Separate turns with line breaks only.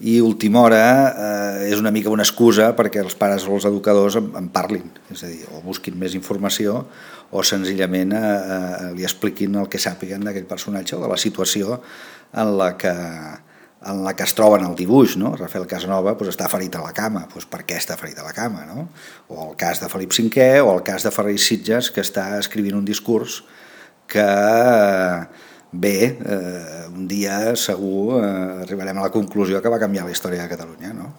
i última hora és una mica una excusa perquè els pares o els educadors en parlin, és a dir, o busquin més informació o senzillament li expliquin el que sàpiguen d'aquell personatge o de la situació en la que es troba en el dibuix, no? Rafael Casanova està ferit a la cama, per què està ferit a la cama, no? O el cas de Felip V o el cas de Ferrer i Sitges, que està escrivint un discurs que bé, un dia segur arribarem a la conclusió que va canviar la història de Catalunya, no?